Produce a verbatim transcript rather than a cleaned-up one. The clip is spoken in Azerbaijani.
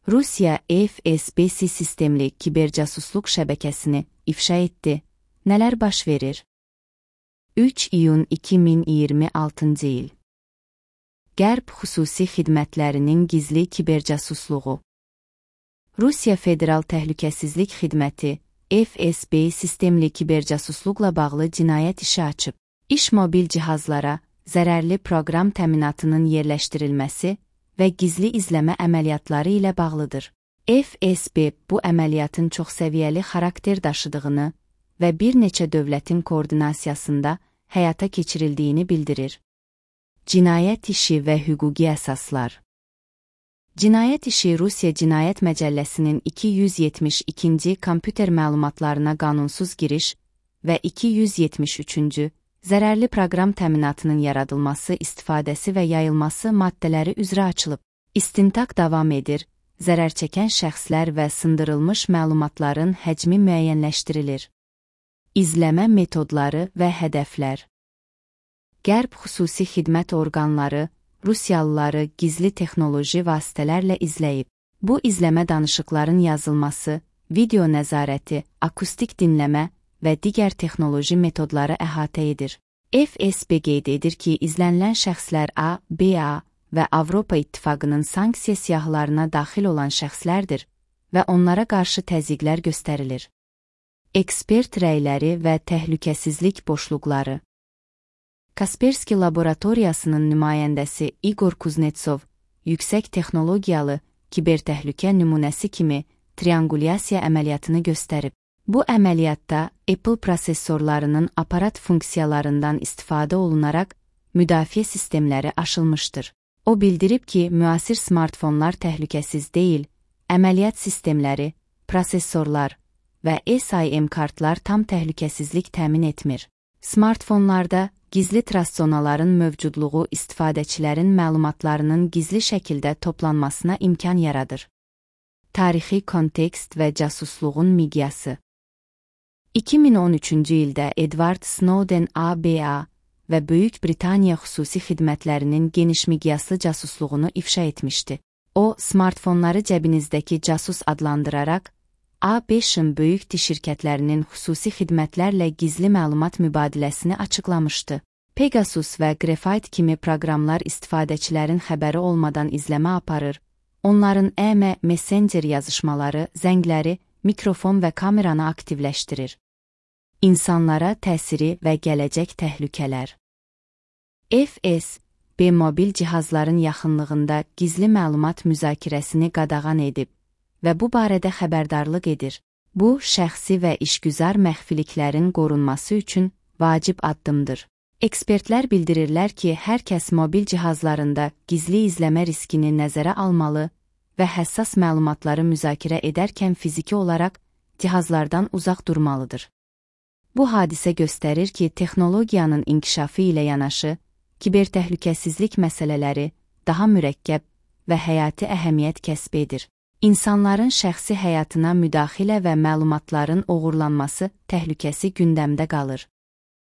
Rusiya F S B sistemli kibercasusluq şəbəkəsini ifşa etdi. Nələr baş verir? üç iyun iki min iyirmi altıncı il. Qərb xüsusi xidmətlərinin gizli kibercasusluğu. Rusiya Federal Təhlükəsizlik Xidməti F S B sistemli kibercasusluqla bağlı cinayət işi açıb. İş mobil cihazlara zərərli proqram təminatının yerləşdirilməsi və gizli izləmə əməliyyatları ilə bağlıdır. F S B bu əməliyyatın çoxsəviyyəli xarakter daşıdığını və bir neçə dövlətin koordinasiyasında həyata keçirildiyini bildirir. Cinayət işi və hüquqi əsaslar. Cinayət işi Rusiya Cinayət Məcəlləsinin iki yüz yetmiş ikinci kompüter məlumatlarına qanunsuz giriş və iki yüz yetmiş üçüncü zərərli proqram təminatının yaradılması, istifadəsi və yayılması maddələri üzrə açılıb. İstintaq davam edir, zərər çəkən şəxslər və sındırılmış məlumatların həcmi müəyyənləşdirilir. İzləmə metodları və hədəflər. Qərb xüsusi xidmət orqanları Rusiyalıları gizli texnoloji vasitələrlə izləyib. Bu izləmə danışıqların yazılması, video nəzarəti, akustik dinləmə və digər texnoloji metodları əhatə edir. F S B qeyd edir ki, izlənilən şəxslər A, B A və Avropa İttifaqının sanksiya siyahılarına daxil olan şəxslərdir və onlara qarşı təzyiqlər göstərilir. Ekspert rəyləri və təhlükəsizlik boşluqları. Kaspersky Laboratoriyasının nümayəndəsi Igor Kuznetsov, yüksək texnologiyalı kibertəhlükə nümunəsi kimi triangulyasiya əməliyyatını göstərib. Bu əməliyyatda Apple prosesorlarının aparat funksiyalarından istifadə olunaraq müdafiə sistemləri aşılmışdır. O bildirib ki, müasir smartfonlar təhlükəsiz deyil, əməliyyat sistemləri, prosesorlar və S I M kartlar tam təhlükəsizlik təmin etmir. Smartfonlarda gizli trust zonaların mövcudluğu istifadəçilərin məlumatlarının gizli şəkildə toplanmasına imkan yaradır. Tarixi kontekst və casusluğun miqyası. iki min on üçüncü ildə Edward Snowden A B A və Böyük Britaniya xüsusi xidmətlərinin geniş miqyaslı casusluğunu ifşa etmişdi. O, smartfonları cəbinizdəki casus adlandıraraq, A beşin böyük diş şirkətlərinin xüsusi xidmətlərlə gizli məlumat mübadiləsini açıqlamışdı. Pegasus və Graphite kimi proqramlar istifadəçilərin xəbəri olmadan izləmə aparır, onların E M Messenger yazışmaları, zəngləri, mikrofon və kameranı aktivləşdirir. İnsanlara təsiri və gələcək təhlükələr. F S B mobil cihazların yaxınlığında gizli məlumat müzakirəsini qadağan edib və bu barədə xəbərdarlıq edir. Bu, şəxsi və işgüzar məxfiliklərin qorunması üçün vacib addımdır. Ekspertlər bildirirlər ki, hər kəs mobil cihazlarında gizli izləmə riskini nəzərə almalı və həssas məlumatları müzakirə edərkən fiziki olaraq cihazlardan uzaq durmalıdır. Bu hadisə göstərir ki, texnologiyanın inkişafı ilə yanaşı, kibertəhlükəsizlik məsələləri daha mürəkkəb və həyati əhəmiyyət kəsb edir. İnsanların şəxsi həyatına müdaxilə və məlumatların oğurlanması təhlükəsi gündəmdə qalır.